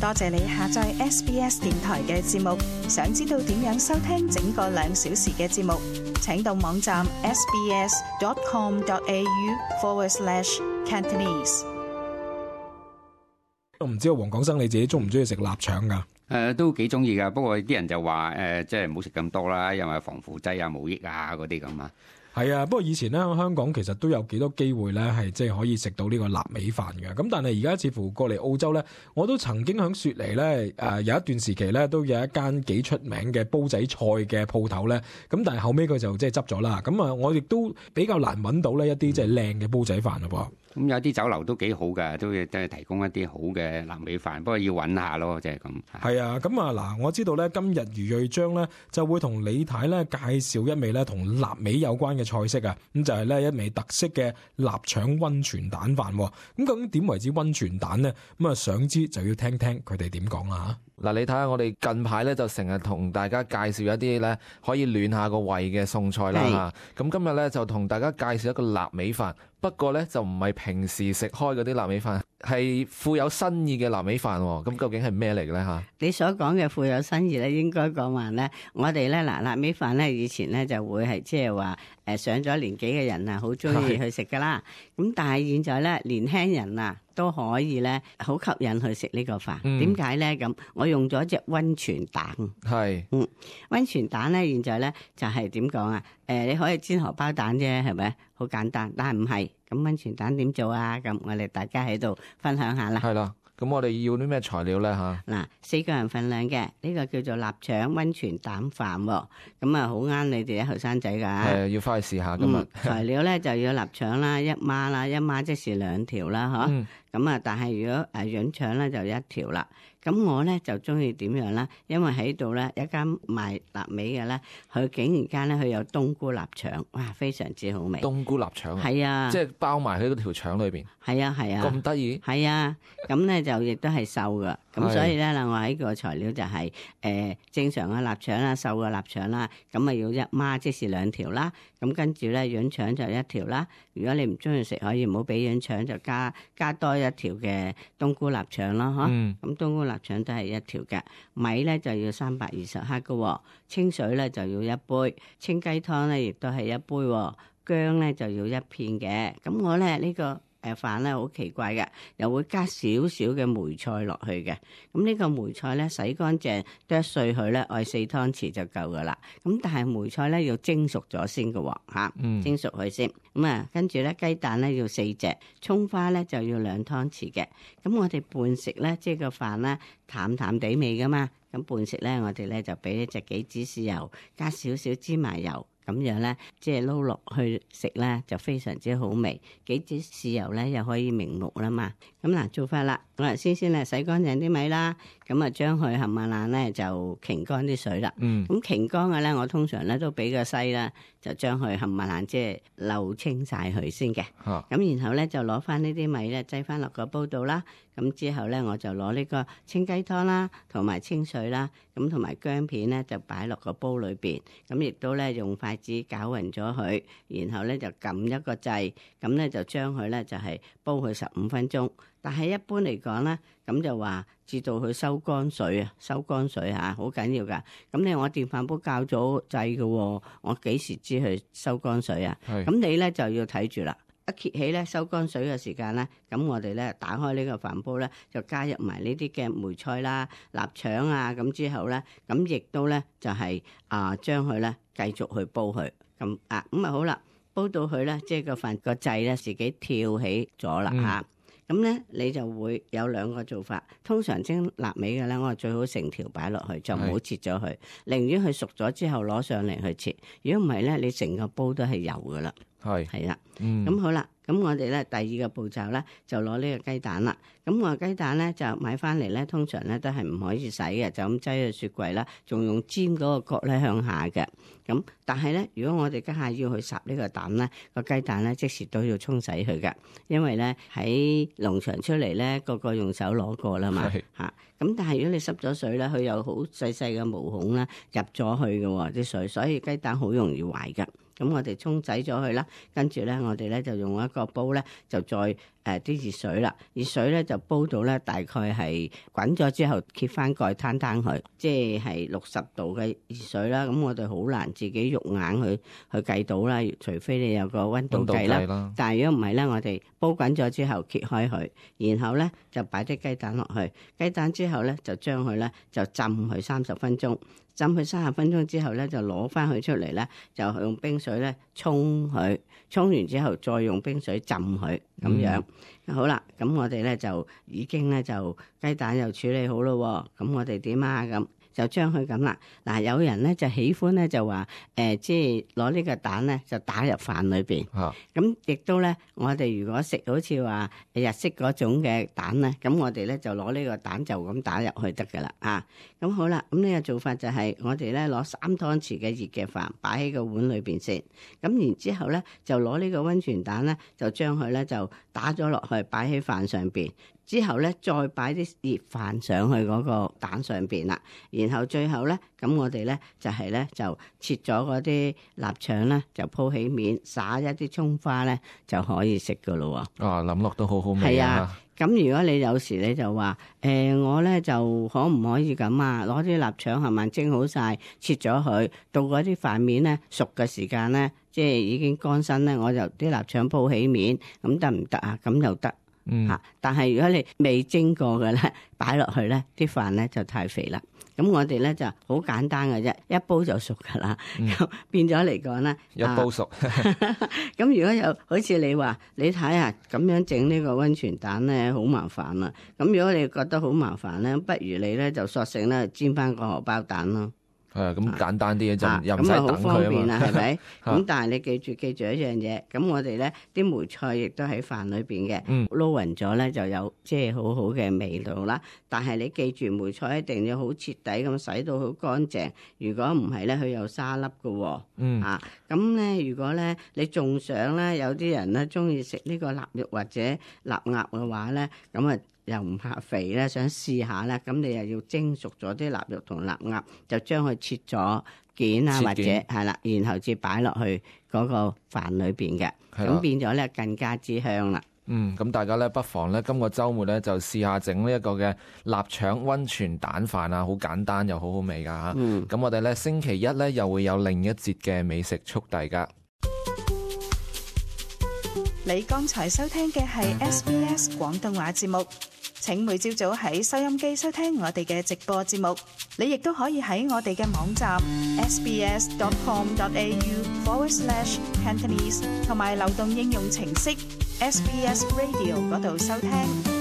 多謝你下載 SBS 電台嘅節目。想知道點樣收聽整個2小時嘅節目，請到網站 sbs.com.au/Cantonese。我唔知道黃廣生你自己中唔中意食臘腸㗎？都幾中意㗎，不過啲人就話即係唔好食咁多啦，因為防腐劑啊、冇益啊嗰啲咁啊。係啊，不過以前咧香港其實都有幾多機會咧係即係可以食到呢個臘味飯嘅。咁但係而家似乎過嚟澳洲咧，我都曾經喺雪梨咧有一段時期咧都有一間幾出名嘅煲仔菜嘅鋪頭咧。咁但係後尾佢就即係執咗啦。咁啊，我亦都比較難揾到呢一啲即係靚嘅煲仔飯咯噃。咁有啲酒樓都幾好㗎，都係提供一啲好嘅臘味飯，不過要揾下咯，即係咁。係啊，咁啊嗱，我知道咧今日余瑞章咧就會同李太咧介紹一味咧同臘味有關嘅菜式啊，咁就係咧一味特色嘅臘腸溫泉蛋飯。咁究竟點為之溫泉蛋呢？咁啊想知就要聽聽佢哋點講啦嚇。嗱，你睇下我哋近排咧就成日同大家介紹一啲咧可以暖下個胃嘅餸菜啦嚇。咁今日咧就同大家介紹一個臘味飯。不過咧就唔係平時食開嗰啲臘味飯，係富有新意嘅臘味飯。咁究竟係咩嚟嘅咧嚇？你所講嘅富有新意咧，應該講話咧，我哋咧嗱臘味飯咧以前咧就會係即係話上咗年紀嘅人啊，好中意去食噶啦。咁但係現在咧年輕人啊都可以咧好吸引去食呢個飯。點解咧咁？我用咗隻溫泉蛋。係，溫泉蛋咧現在咧就係點講啊？你可以煎荷包蛋啫，係咪？好簡單，但係唔係。咁溫泉蛋點做啊？咁我哋大家喺度分享下啦。係啦，咁我哋要啲咩材料咧嚇？嗱，4個人份量嘅呢個叫做臘腸溫泉蛋飯喎。咁啊好啱你哋啲後生仔㗎。係，要翻去試下今日。材料咧就要臘腸啦，1孖啦，1孖即是2條啦，嗬。咁啊，但係如果潤腸咧就1條啦。咁我咧就中意點樣啦？因為喺度咧一間賣臘味嘅咧，佢竟然間咧佢有冬菇臘腸，哇，非常之好味。冬菇臘腸啊？係啊，即係包埋喺嗰條腸裏邊。係啊係啊。咁得意？係啊，咁咧就亦都係瘦噶。咁所以咧嗱，我喺個材料就係正常嘅臘腸啦，瘦嘅臘腸啦，咁啊要1孖，即是2條啦。咁跟住咧潤腸就1條啦。如果你唔中意食，可以唔好俾潤腸，就加多1條嘅冬菇臘腸咯，嗬。咁冬菇臘腸都係1條嘅。米咧就要320克嘅，清水咧就要1杯，清雞湯咧亦都係1杯，薑咧就要1片嘅。咁我咧呢個飯咧好奇怪嘅，又會加少少嘅梅菜落去嘅。咁呢個梅菜咧洗乾淨，剁碎佢咧，愛4湯匙就夠噶啦。咁但係梅菜咧要蒸熟咗先嘅喎，蒸熟佢先。咁啊，跟住咧雞蛋咧要4隻，葱花咧就要2湯匙嘅。咁我哋拌食咧，即係個飯咧淡淡地味噶嘛。咁拌食咧，我哋咧就俾一隻杞子豉油，加少少芝麻油。咁樣咧，即係撈落去食咧，就非常之好味。杞子豉油咧又可以明目啦嘛。咁嗱，做法啦，我哋先咧洗乾淨啲米啦，咁啊將佢冚唪唥咧就擎乾啲水啦。咁擎乾嘅咧，我通常咧都俾個篩啦，就將佢冚唪唥即係漏清晒佢先嘅。咁然後咧就攞翻呢啲米咧擠翻落個煲度啦。咁之後咧我就攞呢個清雞湯啦，同埋清水啦，咁同埋薑片咧就擺落個煲裏邊。咁亦都咧用筷子攪勻咗佢，然後咧就撳一個掣，咁咧就將佢咧就係煲佢15分鐘。但係一般嚟講咧，咁就話至到佢收乾水啊，收乾水嚇，好緊要噶。咁你我電飯煲校咗掣嘅，我幾時知佢收乾水啊？咁你咧就要睇住啦。一揭起咧收乾水嘅時間咧，咁我哋咧打開呢個飯煲咧，就加入埋呢啲嘅梅菜啦、臘腸啊，咁之後咧，咁亦都咧就係將佢咧繼續去煲佢，咁啊好啦，煲到佢咧，即係個飯個掣咧自己跳起咗啦嚇。咁咧你就會有2個做法。通常蒸臘味嘅咧，我最好成條擺落去，就唔好切咗佢，寧願佢熟咗之後攞上嚟去切。如果唔係咧，你成個煲都係油噶啦。係啦，咁好啦，咁我哋咧第2個步驟咧就攞呢個雞蛋啦。咁我雞蛋咧就買翻嚟咧，通常咧都係唔可以洗嘅，就咁擠去雪櫃啦，仲用尖嗰個角咧向下嘅。咁但係咧，如果我哋家下要去烚呢個蛋咧，個雞蛋咧即時都要沖洗佢嘅，因為咧喺農場出嚟咧，個用手攞過啦嘛嚇。咁但係如果你濕咗水咧，佢有好細細嘅毛孔啦入咗去嘅啲水，所以雞蛋好容易壞㗎。咁我哋沖洗咗佢啦，跟住咧我哋咧就用一個煲咧就再啲熱水啦，熱水咧就煲到咧大概係滾咗之後揭翻蓋攤佢，即係60度嘅熱水啦。咁我哋好難自己肉眼去計到啦，除非你有個溫度計啦。但係如果唔係咧，我哋煲滾咗之後揭開佢，然後咧就擺啲雞蛋落去，雞蛋之後咧就將佢咧就浸佢30分鐘。浸佢30分鐘之後咧，就攞翻佢出嚟咧，就用冰水咧沖佢，沖完之後再用冰水浸佢咁樣。好啦，咁我哋咧就已經咧就雞蛋又處理好咯。咁我哋點啊？咁就將佢咁啦。嗱，有人咧就喜歡咧就話即係攞呢個蛋咧就打入飯裏邊。咁亦都咧，我哋如果食好似話日式嗰種嘅蛋咧，咁我哋咧就攞呢個蛋就咁打入去得噶啦。咁好啦，咁呢個做法就係我哋咧攞3湯匙嘅熱嘅飯擺喺個碗裏邊先。咁然之後咧就攞呢個溫泉蛋咧就將佢咧就打咗落去擺喺飯上邊。之後咧，再擺啲熱飯上去嗰個蛋上邊啦。然後最後咧，咁我哋咧就係咧就切咗嗰啲臘腸咧，就鋪起面，撒一啲葱花咧，就可以食噶咯喎。諗落都好好味啊！咁如果你有時你就話我咧就可唔可以咁啊？攞啲臘腸係咪蒸好晒，切咗佢，到嗰啲飯面咧熟嘅時間咧，即係已經乾身咧，我就啲臘腸鋪起面，咁得唔得啊？咁又得。但係如果你未蒸過嘅咧，擺落去咧，啲飯咧就太肥啦。咁我哋咧就好簡單嘅啫，一煲就熟噶啦。咁變咗嚟講咧，一煲熟。咁如果有好似你話，你睇下咁樣整呢個溫泉蛋咧，好麻煩啦。咁如果你覺得好麻煩咧，不如你咧就索性咧煎翻個荷包蛋咯。咁簡單啲嘅就又唔使等佢啊嘛。咁好方便啦，係咪？咁但係你記住一樣嘢，咁我哋咧啲梅菜亦都喺飯裏邊嘅，撈勻咗咧就有即係好好嘅味道啦。但係你記住梅菜一定要好徹底咁洗到好乾淨，如果唔係咧佢有沙粒㗎喎。咁咧如果咧你仲想咧有啲人咧中意食呢個臘肉或者臘鴨嘅話咧，咁啊〜又唔怕肥咧，想試下咧，咁你又要蒸熟咗啲臘肉同臘鴨，就將佢切咗件啊，或者係啦，然後至擺落去嗰個飯裏邊嘅，咁變咗咧更加之香啦。咁大家咧不妨咧今個週末咧就試下整呢一個嘅臘腸溫泉蛋飯啊，好簡單又好好味噶嚇。咁我哋咧星期一咧又會有另一節嘅美食速遞噶。你剛才收聽嘅係 SBS 廣東話節目。請每朝早喺收音機收聽我哋嘅直播節目，你亦都可以喺我哋嘅網站 sbs.com.au/Cantonese 同埋流動應用程式 SBS Radio 嗰度收聽。